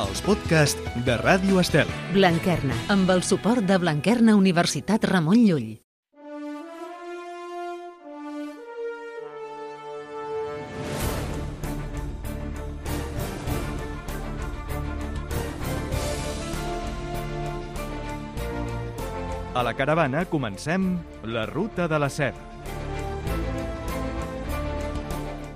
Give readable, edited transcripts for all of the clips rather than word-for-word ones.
els podcasts de Ràdio Estel. Blanquerna, amb el suport de Blanquerna Universitat Ramon Llull. A la caravana comencem la Ruta de la Seda.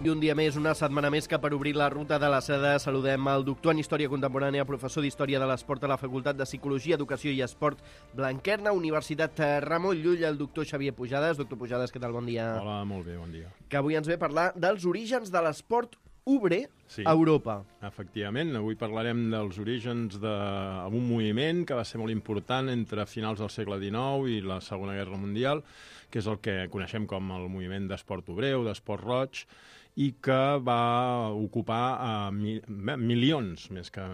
I un dia més, una setmana més que per obrir la Ruta de la Seda saludem el doctor en Història Contemporània, professor d'Història de l'Esport a la Facultat de Psicologia, Educació i Esport, Blanquerna, Universitat Ramon Llull, el doctor Xavier Pujades. Doctor Pujades, què tal? Bon dia. Hola, molt bé, bon dia. Que avui ens ve a parlar dels orígens de l'esport obrer a Europa. Efectivament, avui parlarem dels orígens d'un moviment que va ser molt important entre finals del segle XIX i la Segona Guerra Mundial, que és el que coneixem com el moviment d'esport obrer o d'esport roig, i que va ocupar milions, més que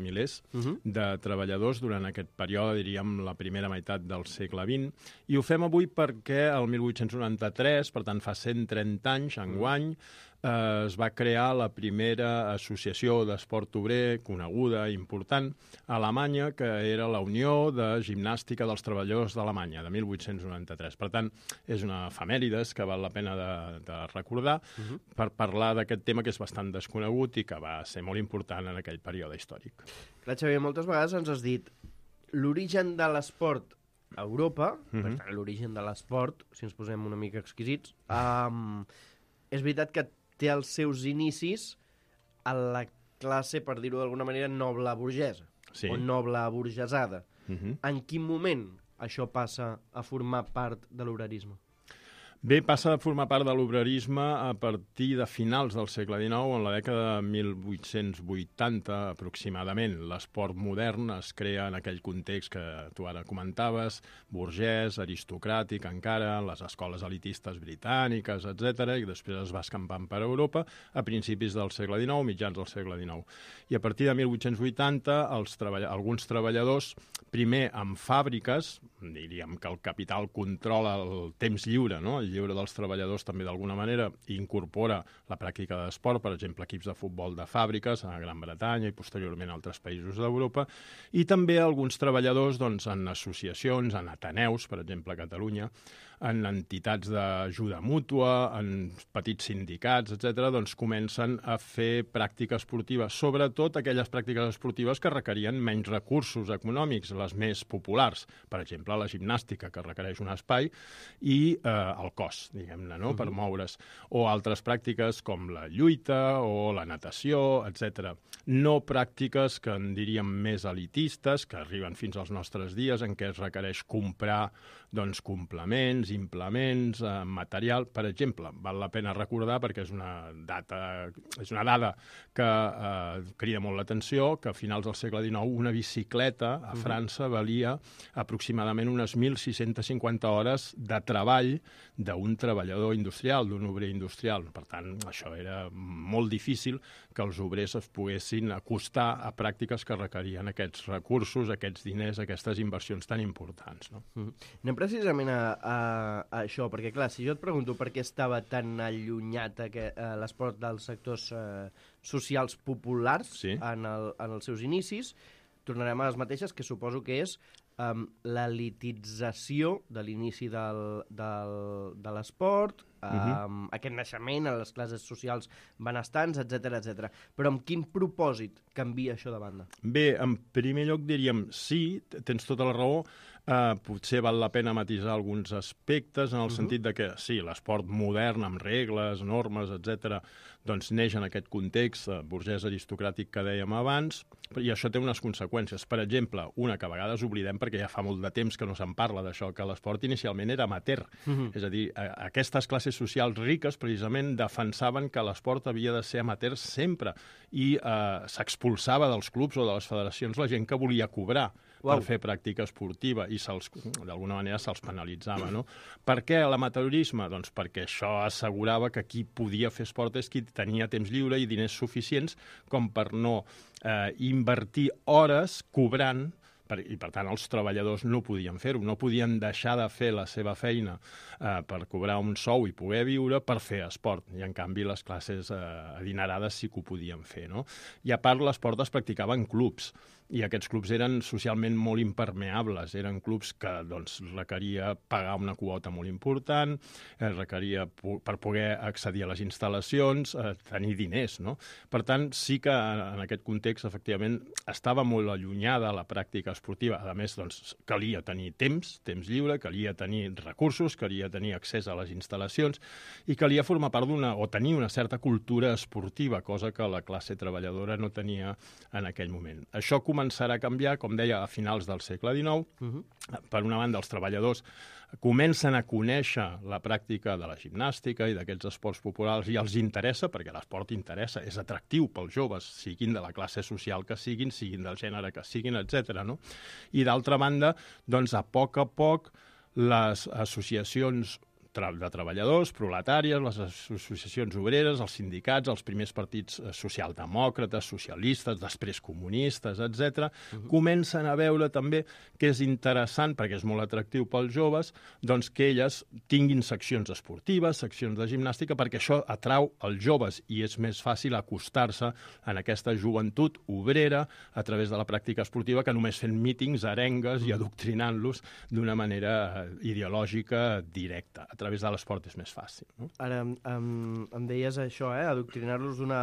milers, de treballadors durant aquest període, diríem, la primera meitat del segle XX. I ho fem avui perquè el 1893, per tant fa 130 anys, enguany, es va crear la primera associació d'esport obrer coneguda, important, a Alemanya, que era la Unió de Gimnàstica dels Treballadors d'Alemanya, de 1893. Per tant, és una efemèrides que val la pena de recordar per parlar d'aquest tema que és bastant desconegut i que va ser molt important en aquell període històric. Clar, Xavier, moltes vegades ens has dit l'origen de l'esport a Europa, per tant, l'origen de l'esport, si ens posem una mica exquisits, és veritat que té els seus inicis a la classe, per dir-ho d'alguna manera, noble burgesa, o noble burgesada. En quin moment això passa a formar part de l'obrerisme? Bé, passa a formar part de l'obrerisme a partir de finals del segle XIX, en la dècada de 1880 aproximadament. L'esport modern es crea en aquell context que tu ara comentaves, burgès, aristocràtic encara, les escoles elitistes britàniques, etc. I després es va escampant per Europa a principis del segle XIX, mitjans del segle XIX. I a partir de 1880 alguns treballadors, primer en fàbriques, diríem que el capital controla el temps lliure, no? El lliure dels treballadors també d'alguna manera incorpora la pràctica d'esport, per exemple, equips de futbol de fàbriques a Gran Bretanya i posteriorment a altres països d'Europa, i també alguns treballadors en associacions, en ateneus, per exemple a Catalunya, en entitats d'ajuda mútua, en petits sindicats, etc., comencen a fer pràctica esportiva, sobretot aquelles pràctiques esportives que requerien menys recursos econòmics, les més populars, per exemple, la gimnàstica, que requereix un espai, i el cos, diguem-ne, no?, per moure's, o altres pràctiques com la lluita o la natació, etc. No pràctiques que en diríem més elitistes, que arriben fins als nostres dies, en què es requereix comprar complements, implements, material. Per exemple, val la pena recordar, perquè és una dada que crida molt l'atenció, que a finals del segle XIX una bicicleta a França valia aproximadament unes 1.650 hores de treball d'un treballador industrial, d'un obrer industrial. Per tant, això era molt difícil que els obrers es poguessin acostar a pràctiques que requerien aquests recursos, aquests diners, aquestes inversions tan importants. No? Anem precisament a això, perquè clar, si jo et pregunto per què estava tan allunyat l'esport dels sectors socials populars en els seus inicis, tornarem a les mateixes, que suposo que és l'elitització de l'inici de l'esport, aquest naixement a les classes socials benestants, etc. Però amb quin propòsit canvia això de banda? Bé, en primer lloc diríem sí, tens tota la raó, potser val la pena matisar alguns aspectes en el sentit de que sí, l'esport modern amb regles, normes, etc., neix en aquest context burgès aristocràtic que dèiem abans, i això té unes conseqüències. Per exemple, una que a vegades oblidem perquè ja fa molt de temps que no se'n parla d'això, que l'esport inicialment era amateur. És a dir, aquestes classes socials riques precisament defensaven que l'esport havia de ser amateur sempre i s'expulsava dels clubs o de les federacions la gent que volia cobrar per fer pràctica esportiva i d'alguna manera se'ls penalitzava. No? Per què l'amateurisme? Doncs perquè això assegurava que qui podia fer esport és qui tenia temps lliure i diners suficients com per no invertir hores cobrant I per tant els treballadors no podien fer-ho, no podien deixar de fer la seva feina per cobrar un sou i poder viure per fer esport, i en canvi les classes adinerades sí que ho podien fer, no? I a part l'esport es practicava en clubs, i aquests clubs eren socialment molt impermeables, eren clubs que doncs, requeria pagar una quota molt important, requeria per poder accedir a les instal·lacions, tenir diners, no? Per tant, sí que en aquest context, efectivament, estava molt allunyada la pràctica esportiva. A més, doncs, calia tenir temps lliure, calia tenir recursos, calia tenir accés a les instal·lacions i calia formar part tenir una certa cultura esportiva, cosa que la classe treballadora no tenia en aquell moment. Això començarà a canviar, com deia, a finals del segle XIX. Per una banda, els treballadors comencen a conèixer la pràctica de la gimnàstica i d'aquests esports populars i els interessa, perquè l'esport interessa, és atractiu pels joves, siguin de la classe social que siguin del gènere que siguin, etc. No? I d'altra banda, doncs, a poc les associacions de treballadors, proletàries, les associacions obreres, els sindicats, els primers partits socialdemòcrates, socialistes, després comunistes, etc., comencen a veure també que és interessant, perquè és molt atractiu pels joves, doncs que elles tinguin seccions esportives, seccions de gimnàstica, perquè això atrau els joves i és més fàcil acostar-se en aquesta joventut obrera a través de la pràctica esportiva que només fent mítings, arengues i adoctrinant-los d'una manera ideològica directa. A través de l'esport és més fàcil. No? Ara, em deies això, adoctrinar-los d'una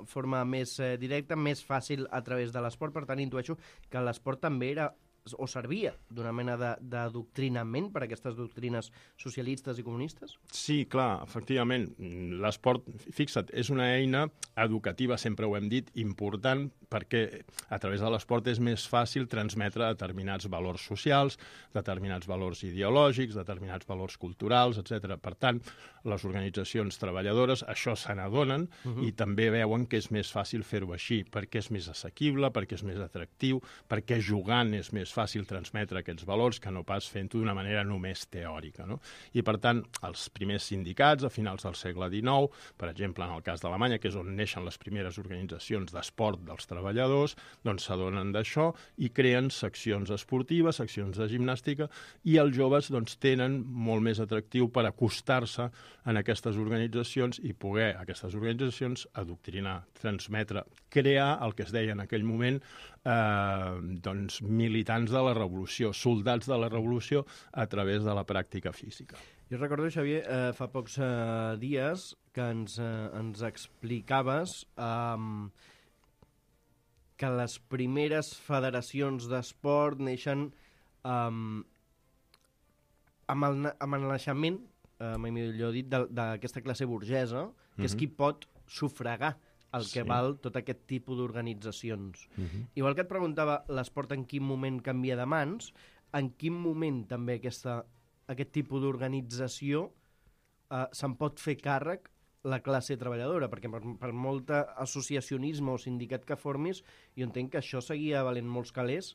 forma més directa, més fàcil a través de l'esport, per tant, intueixo que l'esport també era o servia d'una mena d'adoctrinament per a aquestes doctrines socialistes i comunistes? Sí, clar, efectivament. L'esport, fixa't, és una eina educativa, sempre ho hem dit, important, perquè a través de l'esport és més fàcil transmetre determinats valors socials, determinats valors ideològics, determinats valors culturals, etc. Per tant, les organitzacions treballadores això se n'adonen i també veuen que és més fàcil fer-ho així, perquè és més assequible, perquè és més atractiu, perquè jugant és més fàcil transmetre aquests valors que no pas fent-ho d'una manera només teòrica. No? I, per tant, els primers sindicats, a finals del segle XIX, per exemple, en el cas d'Alemanya, que és on neixen les primeres organitzacions d'esport dels treballadors, doncs s'adonen d'això i creen seccions esportives, seccions de gimnàstica, i els joves doncs, tenen molt més atractiu per acostar-se en aquestes organitzacions i poder aquestes organitzacions adoctrinar, transmetre, crear el que es deia en aquell moment doncs, militants de la revolució, soldats de la revolució a través de la pràctica física. Jo recordo, Xavier, fa pocs dies que ens explicaves que les primeres federacions d'esport neixen amb el naixement, mai millor dit, d'aquesta classe burgesa, que és qui pot sufragar el que val tot aquest tipus d'organitzacions. Igual que et preguntava l'esport en quin moment canvia de mans, en quin moment també aquest tipus d'organització se'n pot fer càrrec la classe treballadora, perquè per molt associacionisme o sindicat que formis, jo entenc que això seguia valent molts calés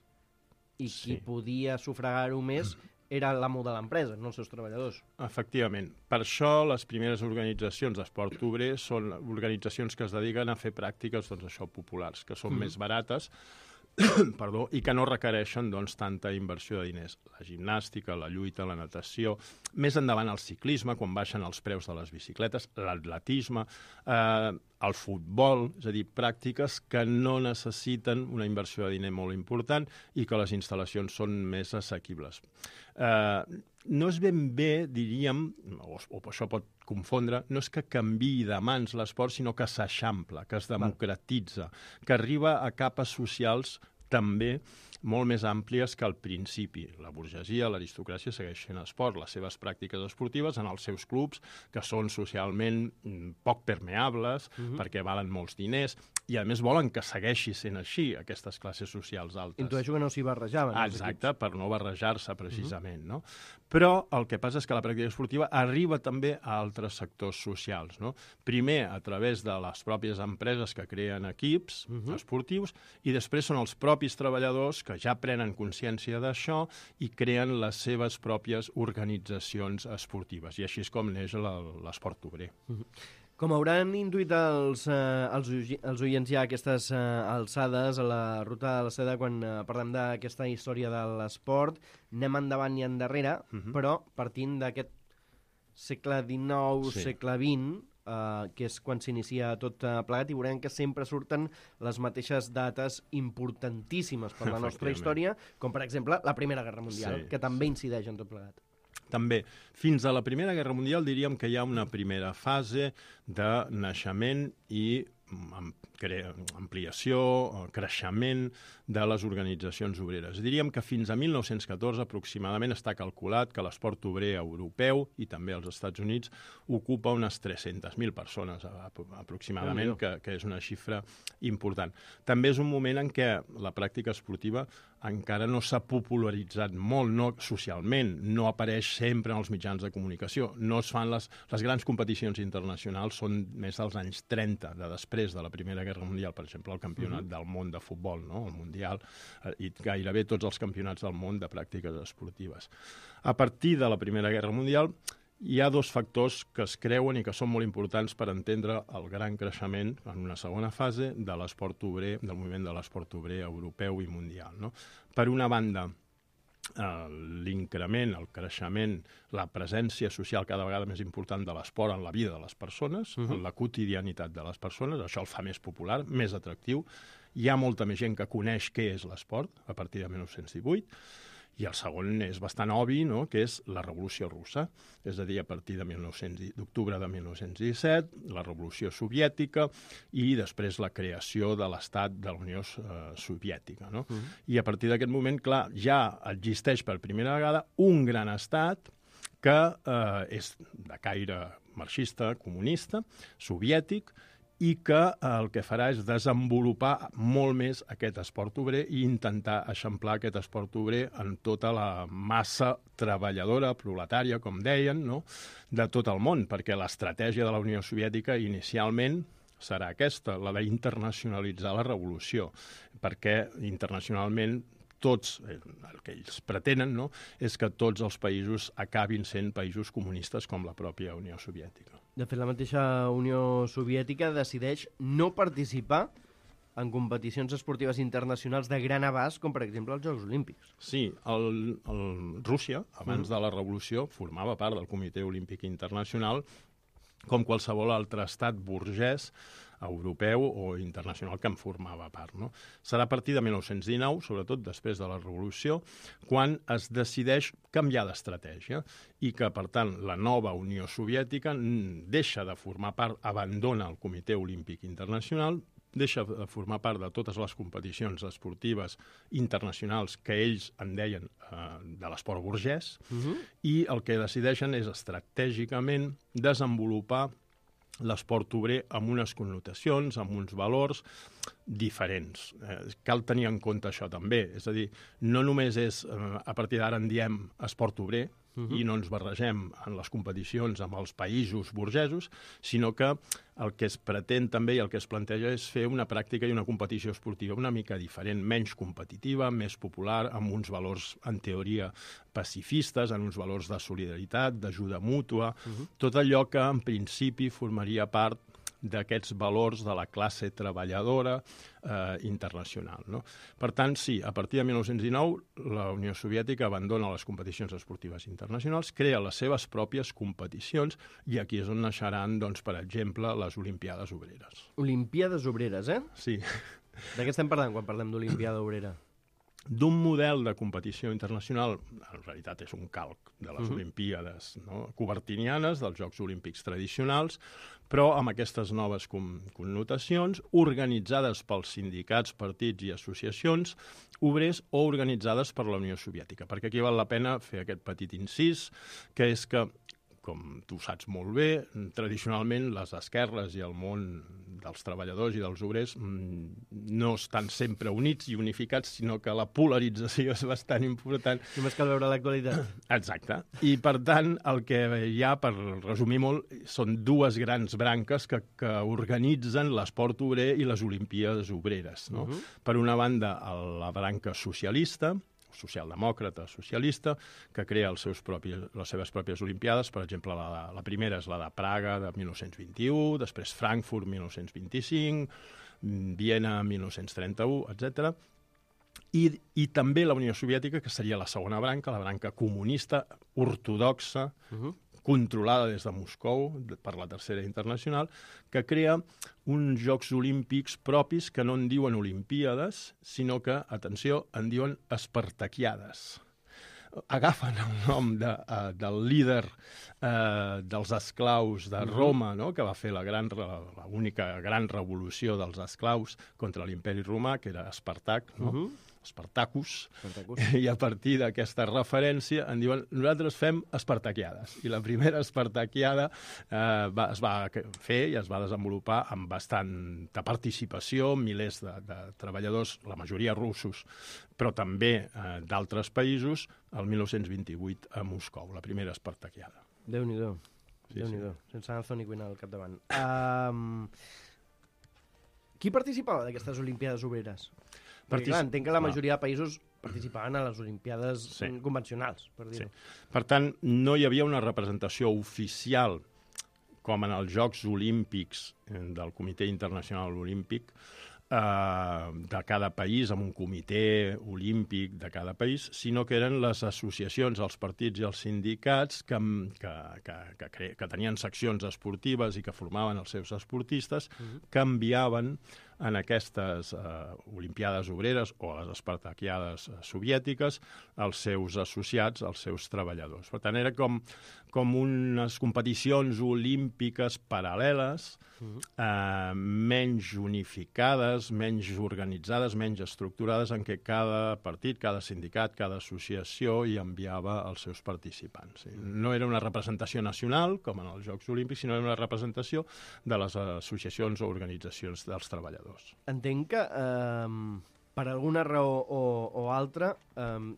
i qui podia sufragar-ho més era l'amo de l'empresa, no els seus treballadors. Efectivament. Per això les primeres organitzacions d'esport obrer són organitzacions que es dediquen a fer pràctiques populars, que són més barates i que no requereixen tanta inversió de diners. La gimnàstica, la lluita, la natació, més endavant el ciclisme, quan baixen els preus de les bicicletes, l'atletisme, el futbol, és a dir, pràctiques que no necessiten una inversió de diner molt important i que les instal·lacions són més assequibles. No és ben bé, diríem, o això pot confondre, no és que canviï de mans l'esport, sinó que s'eixampla, que es democratitza, que arriba a capes socials també molt més àmplies que al principi. La burgesia, l'aristocràcia segueixen esport, les seves pràctiques esportives en els seus clubs, que són socialment poc permeables, perquè valen molts diners, i a més volen que segueixi sent així, aquestes classes socials altes. Intueixo que no s'hi barrejaven. Exacte, per no barrejar-se precisament. No? Però el que passa és que la pràctica esportiva arriba també a altres sectors socials. No? Primer, a través de les pròpies empreses que creen equips esportius, i després són els propis treballadors que ja prenen consciència d'això i creen les seves pròpies organitzacions esportives. I així és com neix l'esport obrer. Com hauran intuït els oients ja a aquestes alçades, a la ruta de la seda, quan parlem d'aquesta història de l'esport, anem endavant i endarrere, però partint d'aquest segle XIX, segle XX, que és quan s'inicia tot plegat, i veurem que sempre surten les mateixes dates importantíssimes per la nostra història, com per exemple la Primera Guerra Mundial, que també incideix en tot plegat. També. Fins a la Primera Guerra Mundial diríem que hi ha una primera fase de naixement i ampliació, creixement de les organitzacions obreres. Diríem que fins a 1914 aproximadament està calculat que l'esport obrer europeu i també als Estats Units ocupa unes 300.000 persones aproximadament, que és una xifra important. També és un moment en què la pràctica esportiva encara no s'ha popularitzat molt, no socialment, no apareix sempre en els mitjans de comunicació, no es fan les grans competicions internacionals, són més dels anys 30, de després de la Primera Guerra Mundial, per exemple, el campionat del món de futbol, no? El Mundial, i gairebé tots els campionats del món de pràctiques esportives. A partir de la Primera Guerra Mundial hi ha dos factors que es creuen i que són molt importants per entendre el gran creixement en una segona fase de l'esport obrer, del moviment de l'esport obrer europeu i mundial, no? Per una banda, l'increment, el creixement, la presència social cada vegada més important de l'esport en la vida de les persones, en la quotidianitat de les persones, això el fa més popular, més atractiu. Hi ha molta més gent que coneix què és l'esport a partir de 1918, i el segon és bastant obvi, no?, que és la Revolució Russa, és a dir, a partir d'octubre de 1917, la Revolució Soviètica i després la creació de l'Estat de la Unió Soviètica, no? I a partir d'aquest moment, clar, ja existeix per primera vegada un gran estat que és de caire marxista, comunista, soviètic, i que el que farà és desenvolupar molt més aquest esport obrer i intentar eixamplar aquest esport obrer en tota la massa treballadora, proletària, com deien, no?, de tot el món, perquè l'estratègia de la Unió Soviètica inicialment serà aquesta, la d'internacionalitzar la revolució, perquè internacionalment tots, el que ells pretenen, no?, és que tots els països acabin sent països comunistes com la pròpia Unió Soviètica. De fet, la mateixa Unió Soviètica decideix no participar en competicions esportives internacionals de gran abast, com per exemple els Jocs Olímpics. Sí, Rússia, abans de la revolució, formava part del Comitè Olímpic Internacional com qualsevol altre estat burgès europeu o internacional que en formava part, no? Serà a partir de 1919, sobretot després de la Revolució, quan es decideix canviar d'estratègia i que, per tant, la nova Unió Soviètica deixa de formar part, abandona el Comitè Olímpic Internacional, deixa de formar part de totes les competicions esportives internacionals que ells en deien de l'esport burgès, i el que decideixen és estratègicament desenvolupar l'esport obrer amb unes connotacions, amb uns valors diferents. Cal tenir en compte això també. És a dir, no només és, a partir d'ara en diem esport obrer, i no ens barregem en les competicions amb els països burgesos, sinó que el que es pretén també i el que es planteja és fer una pràctica i una competició esportiva una mica diferent, menys competitiva, més popular, amb uns valors, en teoria, pacifistes, amb uns valors de solidaritat, d'ajuda mútua, tot allò que en principi formaria part d'aquests valors de la classe treballadora internacional, no? Per tant, sí, a partir de 1919 la Unió Soviètica abandona les competicions esportives internacionals, crea les seves pròpies competicions i aquí és on naixeran, doncs, per exemple, les Olimpiades Obreres. Olimpiades Obreres, eh? Sí. De què estem parlant quan parlem d'Olimpiada Obrera? D'un model de competició internacional, en realitat és un calc de les Olimpíades, no?, cobertinianes, dels Jocs Olímpics tradicionals, però amb aquestes noves connotacions, organitzades pels sindicats, partits i associacions obrers o organitzades per la Unió Soviètica. Perquè aquí val la pena fer aquest petit incís, que és que, com tu saps molt bé, tradicionalment les esquerres i el món dels treballadors i dels obrers no estan sempre units i unificats, sinó que la polarització és bastant important. Només cal veure l'actualitat. Exacte. I, per tant, el que hi ha, per resumir molt, són dues grans branques que organitzen l'esport obrer i les Olimpíades Obreres, no? Per una banda, la branca socialista, socialdemòcrata, socialista, que crea les seves pròpies olimpiades. Per exemple, la primera és la de Praga de 1921, després Frankfurt 1925, Viena 1931, etc. I també la Unió Soviètica, que seria la segona branca, la branca comunista, ortodoxa, controlada des de Moscou per la Tercera Internacional, que crea uns Jocs Olímpics propis que no en diuen Olimpíades, sinó que, atenció, en diuen Espartaquiades. Agafen el nom del líder dels esclaus de Roma, no?, que va fer l'única gran revolució dels esclaus contra l'Imperi Romà, que era Espartac, no? Spartacus, i a partir d'aquesta referència en diuen nosaltres fem espartaquiades. I la primera espartaquiada es va fer i es va desenvolupar amb bastanta participació, milers de treballadors, la majoria russos, però també d'altres països, el 1928 a Moscou, la primera espartaquiada. Déu-n'hi-do. Sí, Déu-n'hi-do. Sense Anthony Quinn al capdavant. Qui participava d'aquestes Olimpiades Obreres? Perquè, clar, entenc que la majoria de països participaven a les Olimpiades convencionals, per dir-ho. Sí. Per tant, no hi havia una representació oficial com en els Jocs Olímpics del Comitè Internacional Olímpic de cada país, amb un comitè olímpic de cada país, sinó que eren les associacions, els partits i els sindicats que tenien seccions esportives i que formaven els seus esportistes, que enviaven en aquestes Olimpiades Obreres o les Espartaquiades soviètiques els seus associats, els seus treballadors. Per tant, era com unes competicions olímpiques paral·leles, menys unificades, menys organitzades, menys estructurades, en què cada partit, cada sindicat, cada associació hi enviava els seus participants. No era una representació nacional, com en els Jocs Olímpics, sinó era una representació de les associacions o organitzacions dels treballadors. Entenc que per alguna raó o altra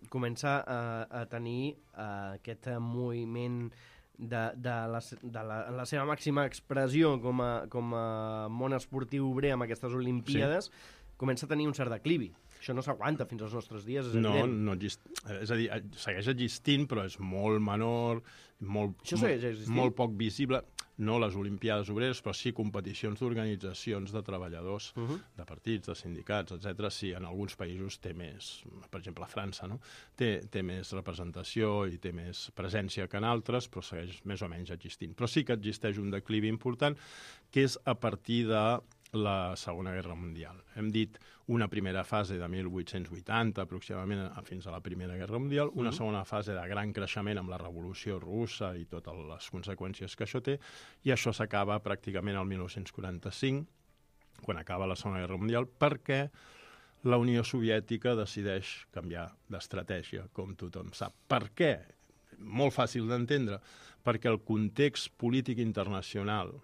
comença a tenir aquest moviment en la seva màxima expressió com a món esportiu obrer amb aquestes Olimpiades, comença a tenir un cert declivi. Això no s'aguanta fins als nostres dies, és evident. No, és a dir, segueix existint, però és molt menor, molt poc visible. No les Olimpiades Obreres, però sí competicions d'organitzacions de treballadors, de partits, de sindicats, etc. Sí, en alguns països té més, per exemple, a França, no? Té més representació i té més presència que en altres, però segueix més o menys existint. Però sí que existeix un declivi important, que és a partir de la Segona Guerra Mundial. Hem dit una primera fase de 1880, aproximadament fins a la Primera Guerra Mundial, una segona fase de gran creixement amb la Revolució Russa i totes les conseqüències que això té, i això s'acaba pràcticament el 1945, quan acaba la Segona Guerra Mundial, perquè la Unió Soviètica decideix canviar d'estratègia, com tothom sap. Per què? Molt fàcil d'entendre, perquè el context polític internacional,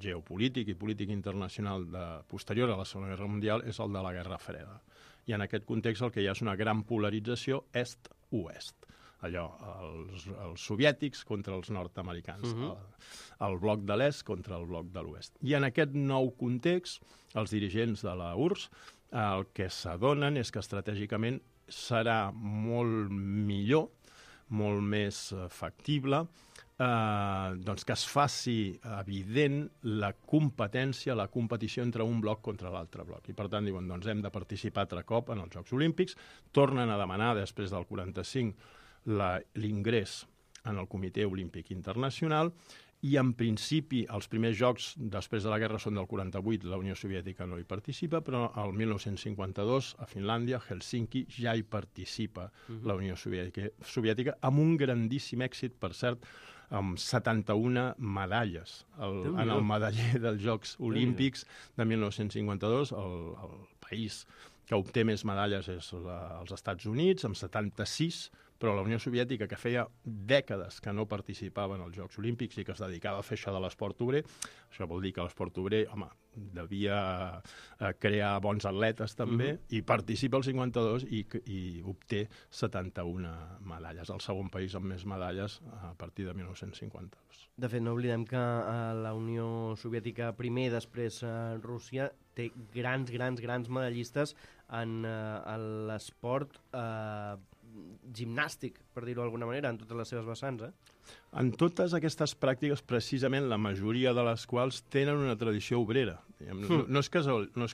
geopolític i polític internacional posterior a la Segona Guerra Mundial és el de la Guerra Freda. I en aquest context el que hi ha és una gran polarització est-oest. Allò, els soviètics contra els nord-americans, el bloc de l'est contra el bloc de l'oest. I en aquest nou context, els dirigents de la URSS el que s'adonen és que estratègicament serà molt millor, molt més factible, doncs que es faci evident la competència, la competició entre un bloc contra l'altre bloc. I per tant diuen, doncs hem de participar altre cop en els Jocs Olímpics, tornen a demanar després del 45 l'ingrés en el Comitè Olímpic Internacional, i en principi els primers jocs després de la guerra són del 48, la Unió Soviètica no hi participa, però el 1952 a Finlàndia, Helsinki, ja hi participa la Unió Soviètica amb un grandíssim èxit, per cert, amb 71 medalles en el medaller dels Jocs Olímpics de 1952. El país que obté més medalles és els Estats Units, amb 76, però la Unió Soviètica, que feia dècades que no participava en els Jocs Olímpics i que es dedicava a fer això de l'esport obrer, això vol dir que l'esport obrer, home, devia crear bons atletes també, i participa al 52 i obté 71 medalles, el segon país amb més medalles a partir de 1952. De fet, no oblidem que la Unió Soviètica primer, després Rússia, té grans medallistes en l'esport gimnàstic, per dir-ho d'alguna manera, en totes les seves vessants, En totes aquestes pràctiques, precisament la majoria de les quals tenen una tradició obrera. No és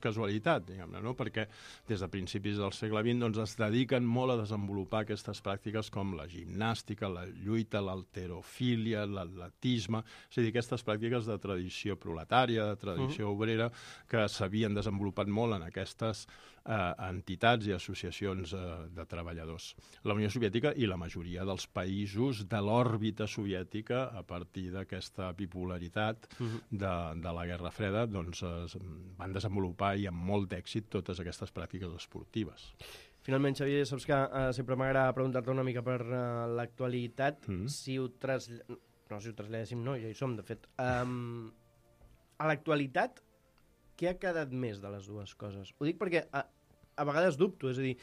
casualitat, diguem-ne, no? Perquè des de principis del segle XX doncs, es dediquen molt a desenvolupar aquestes pràctiques com la gimnàstica, la lluita, l'halterofília, l'atletisme, és a dir, aquestes pràctiques de tradició proletària, de tradició obrera, que s'havien desenvolupat molt en aquestes entitats i associacions de treballadors. La Unió Soviètica i la majoria dels països de l'òrbita soviètica, a partir d'aquesta bipolaritat de la Guerra Freda, doncs van desenvolupar i amb molt d'èxit totes aquestes pràctiques esportives. Finalment, Xavier, saps que sempre m'agrada preguntar-te una mica per l'actualitat, si ho traslladéssim, no, ja hi som, de fet. A l'actualitat, què ha quedat més de les dues coses? Ho dic perquè a vegades dubto, és a dir,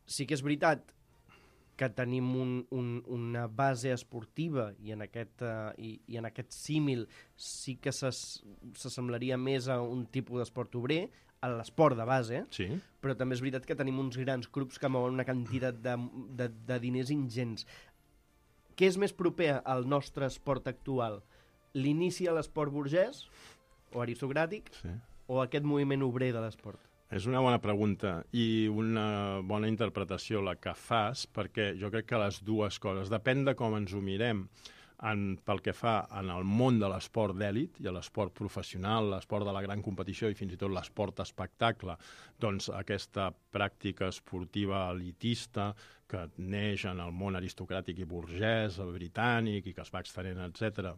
sí que és veritat que tenim una base esportiva i en aquest símil sí que s'assemblaria més a un tipus d'esport obrer, a l'esport de base, sí. Però també és veritat que tenim uns grans grups que mouen una quantitat de diners ingents. Què és més proper al nostre esport actual? L'inici a l'esport burgès o aristocràtic, o aquest moviment obrer de l'esport? És una bona pregunta i una bona interpretació la que fas, perquè jo crec que les dues coses, depèn de com ens ho mirem, pel que fa en el món de l'esport d'èlit i l'esport professional, l'esport de la gran competició i fins i tot l'esport espectacle, doncs aquesta pràctica esportiva elitista que neix en el món aristocràtic i burgès, britànic, i que es va extenent, etc.,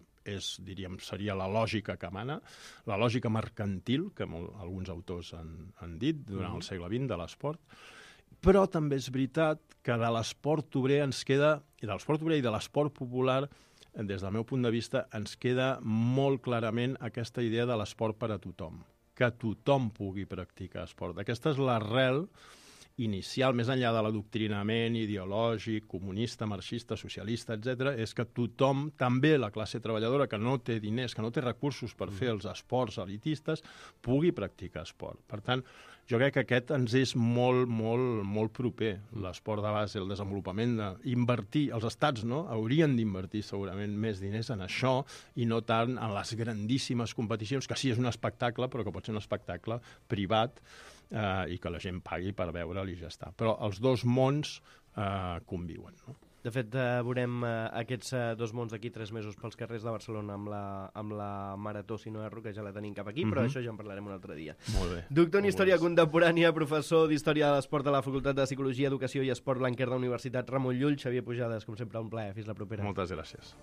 seria la lògica que mana, la lògica mercantil, que alguns autors han dit durant el segle XX de l'esport, però també és veritat que de l'esport obrer ens queda, i de l'esport obrer i de l'esport popular, des del meu punt de vista, ens queda molt clarament aquesta idea de l'esport per a tothom, que tothom pugui practicar esport. Aquesta és l'arrel inicial, més enllà de l'adoctrinament ideològic, comunista, marxista, socialista, etc., és que tothom, també la classe treballadora que no té diners, que no té recursos per fer els esports elitistes, pugui practicar esport. Per tant, jo crec que aquest ens és molt, molt, molt proper, l'esport de base, el desenvolupament d'invertir, els estats haurien d'invertir segurament més diners en això i no tant en les grandíssimes competicions, que sí és un espectacle, però que pot ser un espectacle privat i que la gent pagui per veure'l i ja està. Però els dos mons conviuen, no? De fet, veurem aquests dos mons d'aquí 3 mesos pels carrers de Barcelona amb la Marató, si no erro, que ja la tenim cap aquí, però això ja en parlarem un altre dia. Molt bé. Doctor en Història Contemporània, professor d'Història de l'Esport a la Facultat de Psicologia, Educació i Esport Blanquer de la Universitat Ramon Llull. Xavier Pujades, com sempre, un plaer. Fins la propera. Moltes gràcies.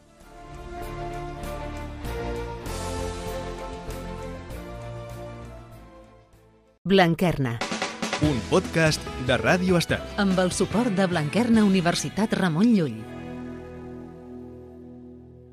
Blanquerna. Un podcast de Ràdio Estat. Amb el suport de Blanquerna Universitat Ramon Llull.